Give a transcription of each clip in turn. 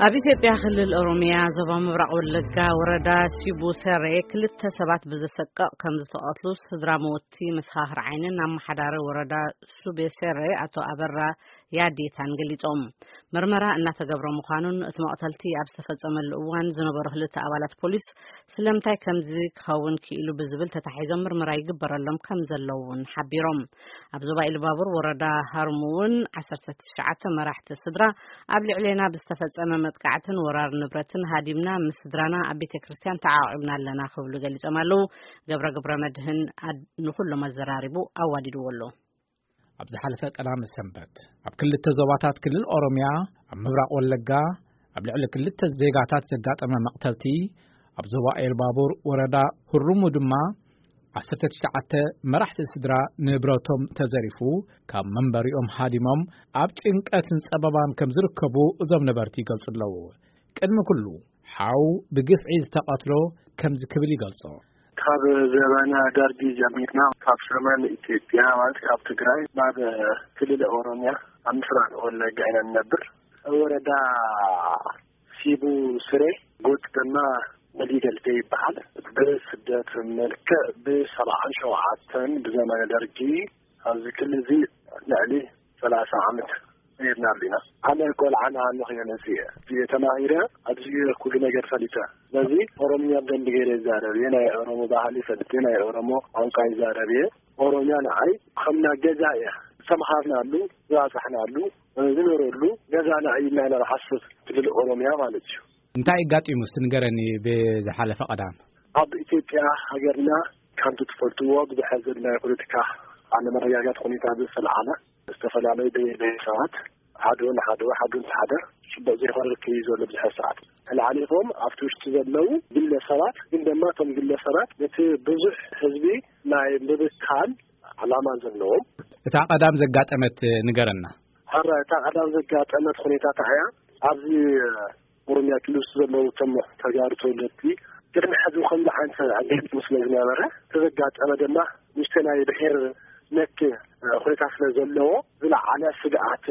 ኣብ ኢትዮጵያ ክልል ኦሮሚያ ዞባ ምብራቕ ወለጋ ወረዳ ሲቡ ሰሬ ክልተ ሰባት ብዘሰቀቕ ከም ዝተቐትሉ ስድራ መወቲ መሰኻኽር ዓይንን ኣመሓዳሪ ወረዳ ሱቤ ሰሬ ኣቶ ኣበራ ያዴታን ገሊጾም። ምርመራ እናተገብረ ምዃኑን እቲ መቕተልቲ ኣብ ዝተፈጸመሉ እዋን ዝነበሩ ክልተ ኣባላት ፖሊስ ስለምንታይ ከምዚ ክኸውን ክኢሉ ብዝብል ተታሒዞም ምርመራ ይግበረሎም ከም ዘለዉ እውን ሓቢሮም። ኣብ ዞባ ኢሉባቡር ወረዳ ሃርሙ እውን ዓሰርተ ትሽዓተ መራሕቲ ስድራ ኣብ ልዕሌና ብዝተፈጸመ መጥቃዕትን ወራር ንብረትን ሃዲምና ምስ ስድራና ኣብ ቤተ ክርስቲያን ተዓቂብና ኣለና ክብሉ ገሊጾም ኣለዉ። ገብረ ግብረ መድህን ኣድ-፣ ንኹሎም ኣዘራሪቡ ኣዋዲድዎ ኣሎ። ኣብ ዝሓለፈ ቀዳመ ሰንበት ኣብ ክልተ ዞባታት ክልል ኦሮሚያ ኣብ ምብራቕ ወለጋ ኣብ ልዕሊ ክልተ ዜጋታት ዘጋጠመ መቕተልቲ፣ ኣብ ዞባ ኤልባቡር ወረዳ ሁሩሙ ድማ ዓሰርተ ትሽዓተ መራሕቲ ስድራ ንብረቶም ተዘሪፉ፣ ካብ መንበሪኦም ሃዲሞም ኣብ ጭንቀትን ጸበባን ከም ዝርከቡ እዞም ነበርቲ ይገልጹ ኣለዉ። ቅድሚ ኩሉ፣ ሓው ብግፍዒ ዝተቐትሎ ከምዚ ክብል ይገልጾ። ካብ ዘበነ ደርጊ ጀሚርና፣ ካብ ሰሜን ኢትዮጵያ ማለት ካብ ትግራይ ናብ ክልል ኦሮሚያ ኣብ ምስራቅ ወለጋ ኢና ንነብር። ወረዳ ሲቡ ስሬ ጎጥ ድማ መዲደልቴ ይበሃል። ብስደት መልክዕ ብሰብዓን ሸውዓተን ብዘመነ ደርጊ ኣብዚ ክልል እዚ ልዕሊ ሰላሳ ዓመት ነይርና ኣለና። ኣነ ቆልዓ ንኣለኹ እየ መፅየ እየ ተማሂረ ኣብዚ እየ ኩሉ ነገር ፈሊጠ። ስለዚ ኦሮምኛ ብደንቢ ገይረ ይዛረብ እየ። ናይ ኦሮሞ ባህሊ ይፈልጥ እየ። ናይ ኦሮሞ ቋንቋ ይዛረብ እየ። ኦሮምያ ንዓይ ከምና ገዛ እያ። ዝተምሃርናሉ፣ ዝባፃሕናሉ፣ ዝኖረሉ ገዛና እዩ ኢልና ኢና ንሓስብ ክልል ኦሮምያ ማለት እዩ። እንታይ ኣጋጢሙ እስቲ ንገረኒ ብዝሓለፈ ቀዳም? ኣብ ኢትዮጵያ ሃገርና ከምቲ ትፈልጥዎ ብዘሕዝን ናይ ፖለቲካ ኣለመረጋጋት ሁኔታ ዝተለዓለ ዝተፈላለዩ ብሄር ብሄረሰባት ሓደ ንሓደ ሓደ ንሓደ ጽቡቕ ዘይኮነ ርክብ እዩ ዘሎ ብዙሕ ሰዓት። ተላዓሊፎም ኣብቲ ውሽጢ ዘለዉ ግለሰባት ግን ድማ እቶም ግለሰባት ነቲ ብዙሕ ህዝቢ ናይ ምብካል ዓላማ ዘለዎም። እታ ቀዳም ዘጋጠመት ንገረና። ሕረ እታ ቀዳም ዘጋጠመት ሁኔታ እንታይ እያ? ኣብዚ ኦሮምያ ክልል ውስጥ ዘለዉ እቶም ተጋሩ ተወለድቲ ቅድሚ ሕዚ ከምዚ ዓይነት ኣጋጢሙ ስለ ዝነበረ፣ እቲ ዘጋጠመ ድማ ንእሽተይ ናይ ብሔር ነክ ኩነታት ስለ ዘለዎ ዝለዓለ ስግኣት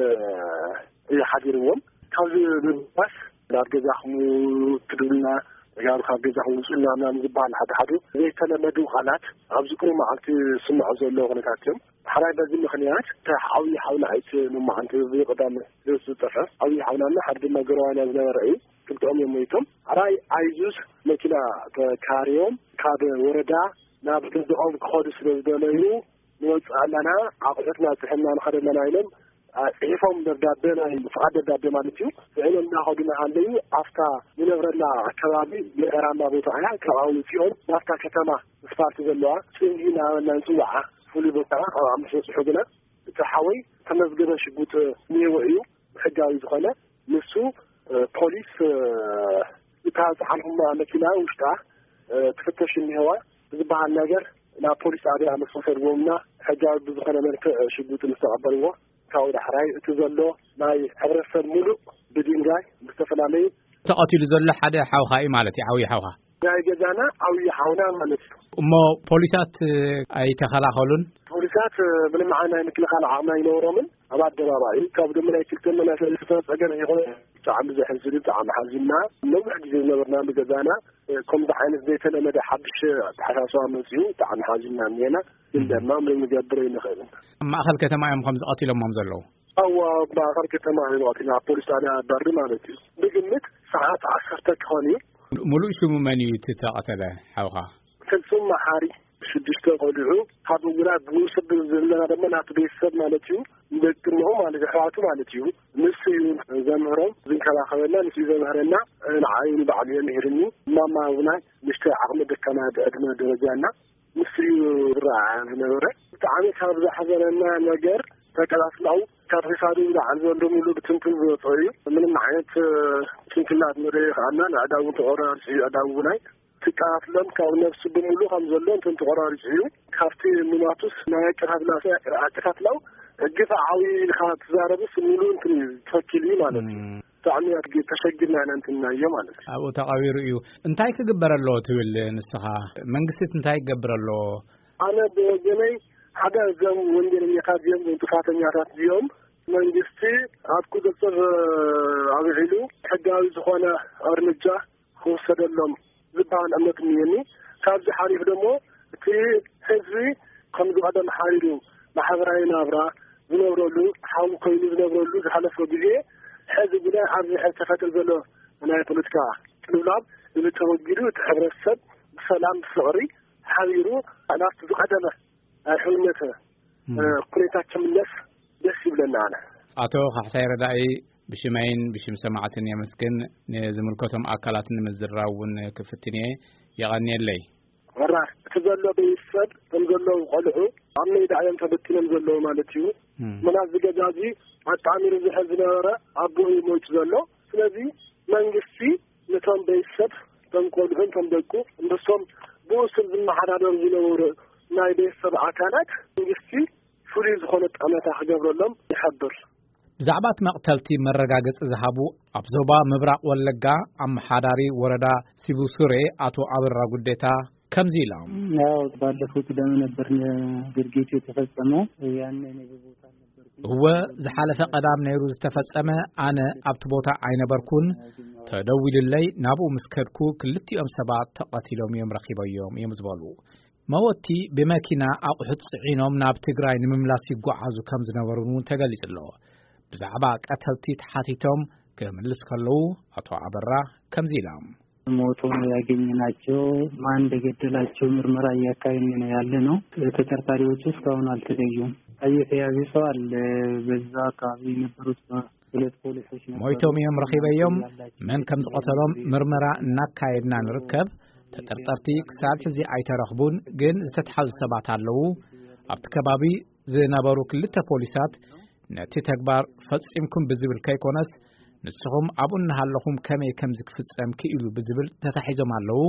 እዩ ሓዲርዎም። ካብዚ ብምባስ ናብ ገዛኹም ክድውልና፣ ተጋሩ ካብ ገዛኹም ውፅኡልና ምናምን ዝበሃል ሓደ ሓደ ዘይተለመዱ ቃላት ኣብዚ ቅሩብ መዓልቲ ዝስምዑ ዘለዉ ኩነታት እዮም። ሕራይ በዚ ምኽንያት እቲ ዓብዪ ሓውና ኣይት ንመዓንቲ ብቐዳም ዝጠፍዐ ዓብዪ ሓውናና ሓደ ድማ ገረዋና ዝነበረ እዩ። ክልተኦም እዮም ሞይቶም። ሕራይ ኣይዙዝ መኪና ተካርዮም ካብ ወረዳ ናብ ገዝኦም ክኸዱ ስለ ዝደለዩ ንወፅእ ኣለና፣ ኣቑሑትና ፅሕና ንኸደ ኣለና ኢሎም፣ አ፣ ፅሒፎም ደብዳቤ፣ ናይ ፍቓድ ደብዳቤ ማለት እዩ። ፅዒኖም እናኸዱ እናሃለዩ ኣብታ ንነብረላ ኣከባቢ ገጠራማ ቦታ እያ። ካብኣ ውፂኦም ናብታ ከተማ ኣስፋልቲ ዘለዋ ፅምዲ እናበልና ንፅውዓ ፍሉይ ቦታ ኣብኣ ምስ በፅሑ ግና እቲ ሓወይ ተመዝገበ ሽጉጥ እኒሄዎ እዩ፣ ሕጋዊ ዝኾነ። ንሱ፣ እ፣ ፖሊስ፣ እ፣ እታ ዝሓልኹማ መኪና ውሽጣ፣ እ፣ ትፍተሽ እኒሄዋ ዝበሃል ነገር ናብ ፖሊስ ጣብያ ምስ ወሰድዎምና ሕጋዊ ብዝኾነ መልክዕ ሽጉጥ ምስ ተቐበልዎ ካብኡ ዳሕራይ እቲ ዘሎ ናይ ሕብረተሰብ ሙሉእ ብድንጋይ ብዝተፈላለዩ ተቐቲሉ ዘሎ ሓደ ሓውኻ እዩ ማለት እዩ፣ ዓብዪ ሓውኻ። ናይ ገዛና ዓብዪ ሓውና ማለት እዩ። እሞ ፖሊሳት ኣይተኸላኸሉን? ፖሊሳት ምንም ዓይነት ናይ ምክልኻል ዓቕሚ ኣይነበሮምን። ኣብ ኣደባባይ ካብ ደሞ ናይ ክልተ መናእሰይ ዝተፈጠረ ጸገም ይኾነ ብጣዕሚ ዘሕዝን እዩ፣ ብጣዕሚ ሓዚንና። ነዊሕ ግዜ ዝነበርናሉ ገዛና ከምዚ ዓይነት ዘይተለመደ ሓድሽ ኣተሓሳስባ መጺኡ ብጣዕሚ ሓዚንና እኒሄና። ግን ድማ ምንም ንገብር ኣይንኽእልን። ኣብ ማእኸል ከተማ እዮም ከምዚ ቀቲሎሞም ዘለዉ? ኣዋ፣ ኣብ ማእኸል ከተማ እዮም ቀቲሎም፣ ኣብ ፖሊስ ጣብያ በሪ ማለት እዩ። ብግምት ሰዓት ዓሰርተ ክኾን እዩ። ሙሉእ ሽሙ መን እዩ እቲ ተቐተለ ሓውኻ? ፍጹም መሓሪ። ሽዱሽተ ቆልዑ ካብ ውላድ ንውሰድ ዘለና ድማ ናቱ ቤተሰብ ማለት እዩ፣ ንደቂ እምኡ ማለት ኣሕዋቱ ማለት እዩ። ንሱ እዩ ዘምህሮም፣ ዝንከባኸበና፣ ንሱ እዩ ዘምህረና። ንዓይ ንባዕሉ እዩ ምሂርኒ። ማማ እውን ንእሽተይ ዓቕሚ ደካማ ዕድመ ደረጃ እና ንሱ እዩ ዝረኣ ዝነበረ። ብጣዕሚ ካብ ዘሕዘነና ነገር ተቀላስላው ካብ ክሳዱ ንላዕሊ ዘሎ ሙሉ ብትንትን ዝወፀ እዩ። ምንም ዓይነት ስንክላት ንርኢ ይኸኣልና። ንኣእዳው እውን ተቆራሪፁ እዩ። ኣእዳው እውን ኣይ ትቀታትሎም ካብ ነብሱ ብምሉ ከም ዘሎ እንትን ተቆራሪጹ እዩ። ካብቲ ምማቱስ ናይ ኣቀታትላ ኣቀታትላው ግፍዓዊ ኢልካ ትዛረብስ ምሉ እንትን እዩ፣ ተወኪል እዩ ማለት እዩ። እም። ብጣዕሚ ኣድጊ ተሸጊርና ኢና እንትን ናዮ ማለት እዩ። ኣብኡ ተቐቢሩ እዩ። እንታይ ክግበር ኣለዎ ትብል ንስኻ? መንግስቲ እንታይ ክገብር ኣለዎ? ኣነ ብወገነይ ሓደ እዞም ወንጀለኛታት እዚኦም፣ ጥፋተኛታት እዚኦም መንግስቲ ኣብ ቁፅፅር ኣውዒሉ ሕጋዊ ዝኾነ እርምጃ ክወሰደሎም ዝበሃል እምነት እኒሀኒ። ካብዚ ሓሊፍ ደሞ እቲ ህዝቢ ከም ዝቐደም ሓይሉ ማሕበራዊ ናብራ ዝነብረሉ፣ ሓው ኮይኑ ዝነብረሉ ዝሓለፈ ግዜ፣ ሕዚ ግና ኣብዚ ሕዚ ተፈጥር ዘሎ ናይ ፖለቲካ ቅልውላብ እዚ ተወጊዱ፣ እቲ ሕብረተሰብ ብሰላም ብፍቕሪ ሓቢሩ ናብቲ ዝቐደመ ናይ ሕውነት ኩነታት ክምለስ ደስ ይብለና። ኣነ ኣቶ ካሕሳይ ረዳኢ፣ ብሽመይን ብሽም ሰማዕትን የመስግን። ንዝምልከቶም ኣካላት ንምዝራብ እውን ክፍትን እየ። የቐንየለይ። ወራ እቲ ዘሎ ቤተሰብ ከም ዘለዉ ቆልዑ ኣብ ሜዳ እዮም ተበቲኖም ዘለዉ ማለት እዩ። ምናት ዝገዛዚ ኣጣሚሩ ዝሕል ዝነበረ ኣቦ እዩ ሞይቱ ዘሎ። ስለዚ መንግስቲ ነቶም ቤተሰብ፣ ቶም ቆልዑን ቶም ደቁ፣ ምስቶም ብኡ ስር ዝመሓዳደሩ ዝነበሩ ናይ ቤተሰብ ኣካላት መንግስቲ ፍሉይ ዝኾነ ጠመታ ክገብረሎም ይሓብር። ብዛዕባ እቲ መቕተልቲ መረጋገጺ ዝሃቡ ኣብ ዞባ ምብራቕ ወለጋ ኣመሓዳሪ ወረዳ ሲቡሱሬ ኣቶ ኣበራ ጉዴታ ከምዚ ኢሎም። ያው ባለፈው ቅዳሜ ነበር ድርጊቱ የተፈጸመው። ያኔ እኔ በቦታ አልነበርኩም። እወ፣ ዝሓለፈ ቀዳም ነይሩ ዝተፈጸመ። ኣነ ኣብቲ ቦታ ኣይነበርኩን። ተደዊሉለይ ናብኡ ምስ ከድኩ ክልቲኦም ሰባት ተቐቲሎም እዮም ረኺበዮም እዮም ዝበሉ። መወቲ ብመኪና ኣቑሑት ጽዒኖም ናብ ትግራይ ንምምላስ ይጓዓዙ ከም ዝነበሩ እውን ተገሊጹ ኣሎ። ብዛዕባ ቀተልቲ ተሓቲቶም ክምልስ ከለዉ ኣቶ ኣበራ ከምዚ ኢሎም። ሞቶ ነው ያገኘናቸው። ማን እንደገደላቸው ምርመራ እያካሄድን ነው ያለ ነው። ተጠርጣሪዎቹ እስካሁን አልተለዩም። የተያዘ ሰው አለ። በዛ አካባቢ የነበሩት ሁለት ፖሊሶች ነበሩ። ሞይቶም እዮም ረኺበዮም። መን ከም ዝቐተሎም ምርመራ እናካየድና ንርከብ። ተጠርጠርቲ ክሳብ ሕዚ ኣይተረኽቡን፣ ግን ዝተትሓዙ ሰባት ኣለዉ። ኣብቲ ከባቢ ዝነበሩ ክልተ ፖሊሳት ነቲ ተግባር ፈጺምኩም ብዝብል ከይኮነስ፣ ንስኹም ኣብኡ እናሃለኹም ከመይ ከም ዝክፍጸም ክኢሉ ብዝብል ተታሒዞም ኣለዉ።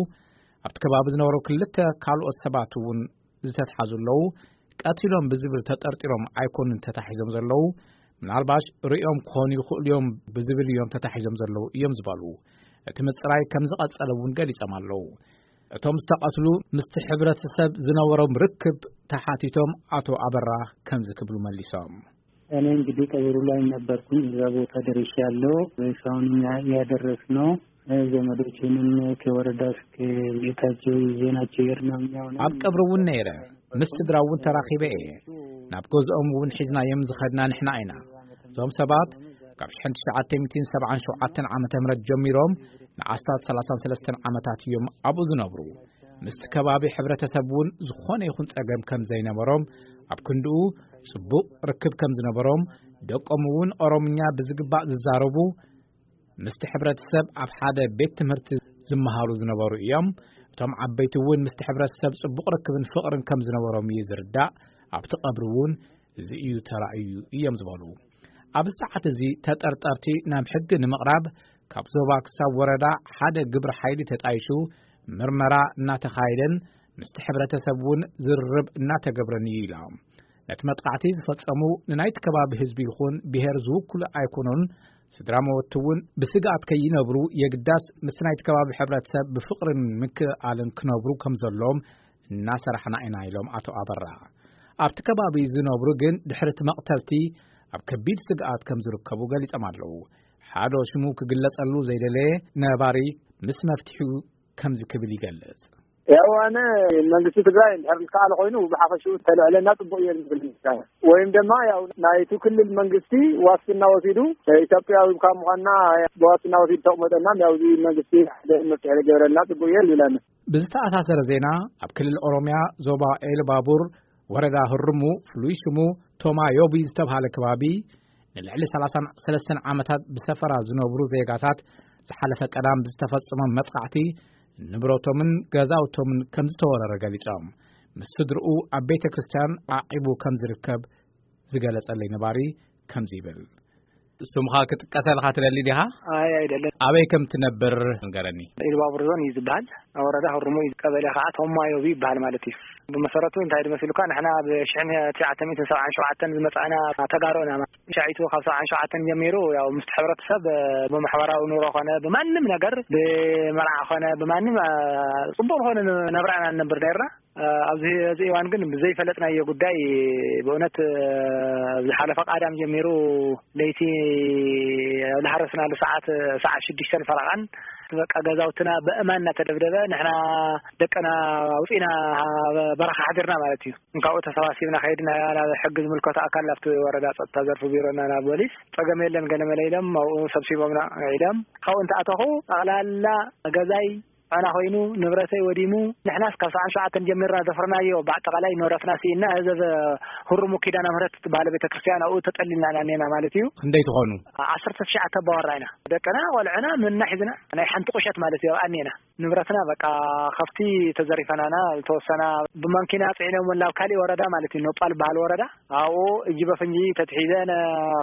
ኣብቲ ከባቢ ዝነበሩ ክልተ ካልኦት ሰባት እውን ዝተትሓዙ ኣለዉ። ቀቲሎም ብዝብል ተጠርጢሮም ኣይኮኑን ተታሒዞም ዘለዉ። ምናልባሽ ርእዮም ክኾኑ ይኽእሉ እዮም ብዝብል እዮም ተታሒዞም ዘለዉ እዮም ዝበሉ። እቲ ምጽራይ ከም ዝቐጸለ እውን ገሊጾም ኣለዉ። እቶም ዝተቐትሉ ምስቲ ሕብረተሰብ ዝነበሮም ርክብ ተሓቲቶም ኣቶ ኣበራ ከምዚ ክብሉ መሊሶም። እኔ እንግዲህ ቀብሩ ላይ ነበርኩኝ። እዛ ቦታ ደርሻለሁ። ሬሳውን እኛ ያደረስነው ዘመዶችንም ከወረዳ እስከ ቤታቸው ይዘናቸው የሄድነው እኛው ነን። ኣብ ቀብሪ እውን ነይረ፣ ምስ ስድራ እውን ተራኺበ እየ። ናብ ገዝኦም እውን ሒዝናዮም ዝኸድና ንሕና ኢና። እዞም ሰባት ካብ ሽሕን ትሽዓተ ሚእትን ሰብዓን ሸውዓተን ዓመተ ምህረት ጀሚሮም ንኣስታት ሰላሳን ሰለስተን ዓመታት እዮም ኣብኡ ዝነብሩ። ምስቲ ከባቢ ሕብረተሰብ እውን ዝኾነ ይኹን ጸገም ከም ዘይነበሮም፣ ኣብ ክንድኡ ጽቡቕ ርክብ ከም ዝነበሮም፣ ደቆም እውን ኦሮምኛ ብዝግባእ ዝዛረቡ፣ ምስቲ ሕብረተሰብ ኣብ ሓደ ቤት ትምህርቲ ዝመሃሩ ዝነበሩ እዮም። እቶም ዓበይቲ እውን ምስቲ ሕብረተሰብ ጽቡቕ ርክብን ፍቕርን ከም ዝነበሮም እዩ ዝርዳእ። ኣብቲ ቀብሪ እውን እዚ እዩ ተራእዩ እዮም ዝበሉ። ኣብዚ ሰዓት እዚ ተጠርጠርቲ ናብ ሕጊ ንምቕራብ ካብ ዞባ ክሳብ ወረዳ ሓደ ግብረ ሓይሊ ተጣይሹ ምርመራ እናተኻየደን ምስቲ ሕብረተሰብ እውን ዝርርብ እናተገብረን እዩ ኢሎም። ነቲ መጥቃዕቲ ዝፈጸሙ ንናይቲ ከባቢ ህዝቢ ይኹን ብሄር ዝውክሉ ኣይኮኑን። ስድራ መወቲ እውን ብስግኣት ከይነብሩ የግዳስ ምስ ናይቲ ከባቢ ሕብረተሰብ ብፍቕርን ምክእኣልን ክነብሩ ከም ዘለዎም እናሰራሕና ኢና ኢሎም ኣቶ ኣበራ። ኣብቲ ከባቢ ዝነብሩ ግን ድሕሪ እቲ መቕተልቲ ኣብ ከቢድ ስግኣት ከም ዝርከቡ ገሊጾም ኣለዉ። ሓደ ሽሙ ክግለጸሉ ዘይደለየ ነባሪ ምስ መፍትሒኡ ከምዚ ክብል ይገልጽ። ያው ኣነ መንግስቲ ትግራይ እንድሕር ዝከኣለ ኮይኑ ብሓፈሽኡ ተልዕለና ጽቡቅ እየ ዝብል። ወይም ድማ ያው ናይቲ ክልል መንግስቲ ዋስትና ወሲዱ ኢትዮጵያዊ ካብ ምዃንና ብዋስትና ወሲዱ ተቕመጠና ያው እዚ መንግስቲ ሓደ መፍትሒ ገበረልና ጽቡቅ እየ ዝብል ኣነ። ብዝተኣሳሰረ ዜና ኣብ ክልል ኦሮሚያ ዞባ ኤልባቡር ወረዳ ህርሙ ፍሉይ ሽሙ ቶማ ዮቢ ዝተባሃለ ከባቢ ንልዕሊ ሰላሳን ሰለስተን ዓመታት ብሰፈራ ዝነብሩ ዜጋታት ዝሓለፈ ቀዳም ብዝተፈጸመ መጥቃዕቲ ንብረቶምን ገዛውቶምን ከም ዝተወረረ ገሊጾም። ምስ ስድርኡ ኣብ ቤተ ክርስቲያን ዓቂቡ ከም ዝርከብ ዝገለጸለይ ነባሪ ከምዚ ይብል። ስምኻ ክጥቀሰልካ ትደሊ ዲኻ? ኣይ ኣይደለን። ኣበይ ከም ትነብር ንገረኒ። ኢሉባቡር ዞን እዩ ዝበሃል። ወረዳ ህሩሙ እዩ። ቀበሌ ከዓ ቶማዮቢ ይበሃል ማለት እዩ። ብመሰረቱ እንታይ ድመሲሉካ ንሕና ብሽሕን ትሽዓተ ሚእትን ሰብዓን ሸውዓተን ዝመፃእና ተጋሩ ኢና። ሻዒቱ ካብ ሰብዓን ሸውዓተን ጀሚሩ ያው ምስቲ ሕብረተሰብ ብማሕበራዊ ኑሮ ኮነ ብማንም ነገር ብመርዓ ኮነ ብማንም ፅቡቅ ዝኾነ ነብራ ኢና ንነብር ነርና። ኣብዚ እዚ እዋን ግን ብዘይፈለጥናዮ ጉዳይ ብእውነት ዝሓለፈ ቃዳም ጀሚሩ ለይቲ ኣብ ዝሓረስናሉ ሰዓት ሰዓት ሽዱሽተን ፈረቓን በቃ ገዛውትና ብእማን እናተደብደበ ንሕና ደቅና ኣውፂና በረኻ ሓዲርና ማለት እዩ። እንካብኡ ተሰባሲብና ከይድና ናብ ሕጊ ዝምልከቶ ኣካል ኣብቲ ወረዳ ጸጥታ ዘርፊ ቢሮና ናብ ፖሊስ ጸገም የለን ገለመለ ኢሎም ኣብኡ ሰብሲቦምና ኢሎም ካብኡ እንተኣተኹ ጠቕላላ ገዛይ ኣና ኮይኑ ንብረተይ ወዲሙ ንሕናስ ካብ ሰዓት ሸውዓተ ጀሚርና ዘፍርናዮ ብኣጠቓላይ ንብረትና ስኢና እዚ ህሩሙ ኪዳነ ምህረት ትበሃል ቤተክርስትያን ኣብኡ ተጠሊልና ኢና ኔና ማለት እዩ። ክንደይ ትኾኑ? ዓሰርተ ትሽዓተ ኣባወራ ኢና። ደቅና ቆልዕና ምና ሒዝና ናይ ሓንቲ ቁሸት ማለት እዩ ኣብኣ ኔና። ንብረትና በቃ ከፍቲ ተዘሪፈናና ዝተወሰና ብማንኪና ፅዒኖም ናብ ካሊእ ወረዳ ማለት እዩ ኖጳል በሃል ወረዳ ኣብኡ እጅ በፍንጂ ተትሒዘን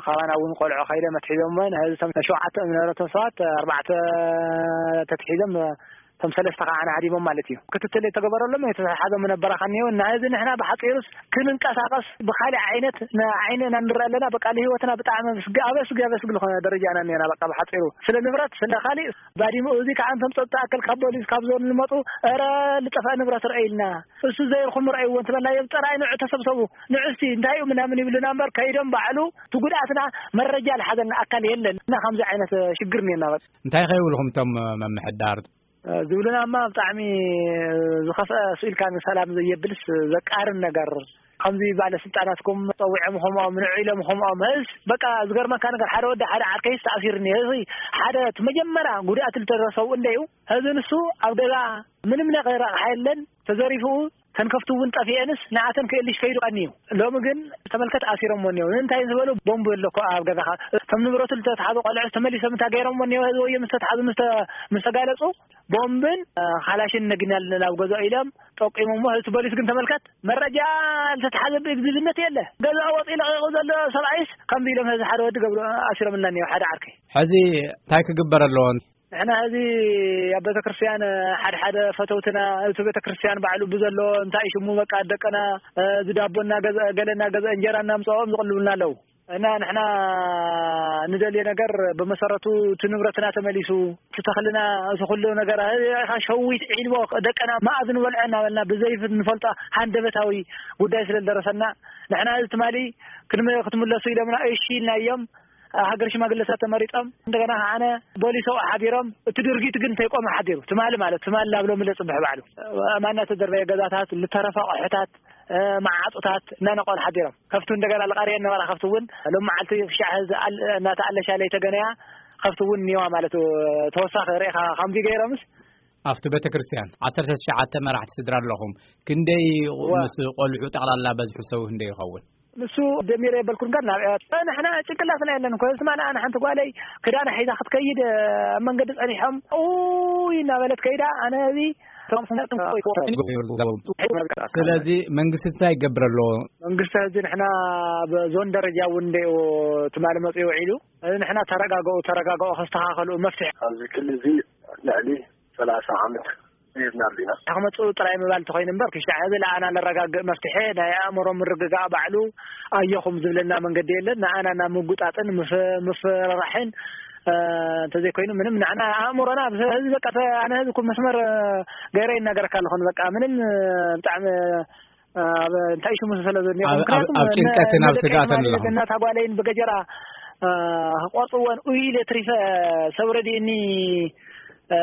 ካባና እውን ቆልዑ ከይደ መትሒዞም ነዚ ሸውዓተ ንብረቶም ሰባት ኣርባዕተ ተትሒዞም እቶም ሰለስተ ከዓ ዓዲሞም ማለት እዩ። ክትትል የተገበረሎም የተሓዘ ምነበራ ከኒዮ እና እዚ ንሕና ብሓፂሩስ ክንንቀሳቀስ ብካሊእ ዓይነት ንዓይንና ንርኢ ኣለና። በቃ ንህይወትና ብጣዕሚ ስግ ኣበስግ ኣበስግ ዝኾነ ደረጃ ኢና እኒና። በቃ ብሓፂሩ ስለ ንብረት ስለ ካሊእ ባዲሙ እዚ ከዓ እንቶም ፀጥታ ኣክል ካብ ፖሊስ ካብ ዞን ዝመፁ ረ ልጠፍአ ንብረት ርአ ኢልና እሱ ዘይርኹም ርአይዎ እንትበልናዮም ፀራይ ንዑ ተሰብሰቡ ንዑ እስቲ እንታይ እዩ ምናምን ይብሉና እምበር ከይዶም ባዕሉ እቲ ጉድኣትና መረጃ ዝሓዘልና ኣካል የለን እና ከምዚ ዓይነት ሽግር እኒና። በቃ እንታይ ከይብልኹም እቶም መምሕዳር? ዝብሉና እማ ብጣዕሚ ዝኸፍአ ስኢልካ ንሰላም ዘየብልስ ዘቃርን ነገር ከምዚ ባለ ስልጣናትኩም ፀዊዖም ኹምኦም ንዑ ኢሎም ኹምኦም እስ በቃ ዝገርመካ ነገር ሓደ ወዲ ሓደ ዓርከይስ ተኣሲርኒ እዚ ሓደ እቲ መጀመርያ ጉድኣት ዝተደረሰው እንደዩ እዚ ንሱ ኣብ ገዛ ምንም ነገር ኣቕሓ የለን ተዘሪፉ ተንከፍቱ እውን ጠፊኤንስ ንኣተን ክእልሽ ከይዱ ቀንዩ ሎሚ ግን ተመልከት ኣሲሮምዎ እኒው እንታይ ዝበሉ ቦምብ ኣለኮ ኣብ ገዛኻ እቶም ንብረቱ ዝተትሓዙ ቆልዑ ተመሊሶም እንታይ ገይሮምዎ እኒው ህዝቢ ወዮ ምስ ተትሓዙ ምስ ተ- ምስ ተጋለፁ ቦምብን እ፣ ካላሽን ነጊናልና ናብ ገዛ ኢሎም ጠቂሞሞ እቲ ፖሊስ ግን ተመልከት መረጃ ዝተትሓዘ ብእግዚብነት የለ ገዛ ወፂ ለቂቁ ዘሎ ሰብኣይስ ከምዚ ኢሎም ህዚ ሓደ ወዲ ገብሩ ኣሲሮምልና እኒው ሓደ ዓርከይ ሕዚ እንታይ ክግበር ኣለዎ? ንሕና ሕዚ ኣብ ቤተክርስትያን ሓደ ሓደ ፈተውትና እቲ ቤተክርስትያን ባዕሉ ብዘሎ እንታይ ሽሙ በቃ ደቅና ዝዳቦ እናገዝአ ገለ እናገዝአ እንጀራ እናምፀኦም ዝቕልቡልና ኣለዉ እና ንሕና ንደልዮ ነገር ብመሰረቱ እቲ ንብረትና ተመሊሱ እቲ ተኽልና እቲ ኩሉ ነገር ኢኻ ሸዊት ዒልቦ ደቅና ማእዝ ንበልዖ እናበልና ብዘይፍ ንፈልጦ ሃንደበታዊ ጉዳይ ስለ ዝደረሰና ንሕና እዚ ትማሊ ክትምለሱ ኢሎምና እሺ ኢልና እዮም ሃገር ሽማግለታት ተመሪጦም እንደገና ከዓነ ቦሊሶ ሓዲሮም እቲ ድርጊት ግን ተይቆመ ሓዲሩ ትማሊ ማለት ትማሊ ናብ ሎሚ ለፅብሕ ባዕሉ ኣማና ተደርበየ ገዛታት ልተረፈ ኣቑሑታት መዓፁታት እናነቆል ሓዲሮም ከፍቱ እንደገና ልቃርየ ነበራ ከፍቱ እውን ሎም መዓልቲ ክሻዕ እናተኣለሻ ለይተገነያ ከፍቱ እውን እኒዋ ማለት ተወሳኺ ርኢኻ ከምዚ ገይሮምስ ኣብቲ ቤተ ክርስቲያን ዓሰርተ ትሽዓተ መራሕቲ ስድራ ኣለኹም ክንደይ ምስ ቆልዑ ጠቕላላ በዝሑ ሰው ክንደይ ይኸውን ንሱ ደሚረ የበልኩን ጋር ናብ ንሕና ጭንቅላትና የለን እኮ ስማ ንኣነ ሓንቲ ጓለይ ክዳና ሒዛ ክትከይድ ኣብ መንገዲ ጸኒሖም ኡይ እናበለት ከይዳ ኣነ እዚ ስለዚ መንግስቲ እንታይ ይገብር ኣለዎ መንግስቲ እዚ ንሕና ኣብ ዞን ደረጃ እውን እንደ ትማሊ መፅኡ ውዒሉ እዚ ንሕና ተረጋገኡ ተረጋገኡ ከስተኻኸሉ መፍትሒ ኣብዚ ክልል እዚ ልዕሊ ሰላሳ ዓመት ሂብና ኣለና። ክመፅኡ ጥራይ ምባል እንተኾይኑ እምበር ክሻዕ እዚ ለኣና ለረጋግእ መፍትሒ ናይ ኣእምሮ ምርግጋእ ባዕሉ ኣየኹም ዝብለና መንገዲ የለን። ንኣና ናብ ምጉጣጥን ምፍ- ምፍርራሕን እ፣ እንተዘይኮይኑ ምንም ንዓና ኣእምሮና ኣብ ህዝቢ በቃ ተ- ኣነ ህዝቢ ኩ መስመር እ፣ ገይረ ይናገረካ ኣለኹን በቃ ምንም እ፣ ብጣዕሚ እ፣ ኣብ እንታይ ሽሙ ስለ ዘሎ ኣብ- ምክንያቱ ኣብ ጭንቀትን ኣብ ስጋትን ኣለኹም። እናታ ጓለይን ብገጀራ እ፣ ቆርፅወን ኡይ ኢለ ትሪፈ ሰብ ረዲእኒ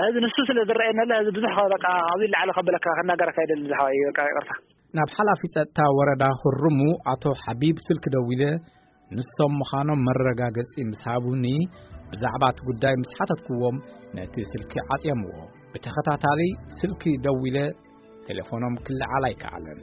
እዚ ንሱ ስለ ዝረኣየኒ ኣሎ እዚ ብዙሕ በቃ ኣብዚ ላዕሊ ከበለካ ክናገረካ ይደሊ ዝሓዋይ በቃ ይቅርታ ናብ ሓላፊ ጸጥታ ወረዳ ክርሙ ኣቶ ሓቢብ ስልክ ደዊለ ንሶም ምዃኖም መረጋገጺ ምስ ሃቡኒ ብዛዕባ እቲ ጉዳይ ምስ ሓተትክዎም ነቲ ስልኪ ዓጽዮምዎ ብተኸታታሊ ስልኪ ደዊለ ቴሌፎኖም ክለዓል ኣይከኣለን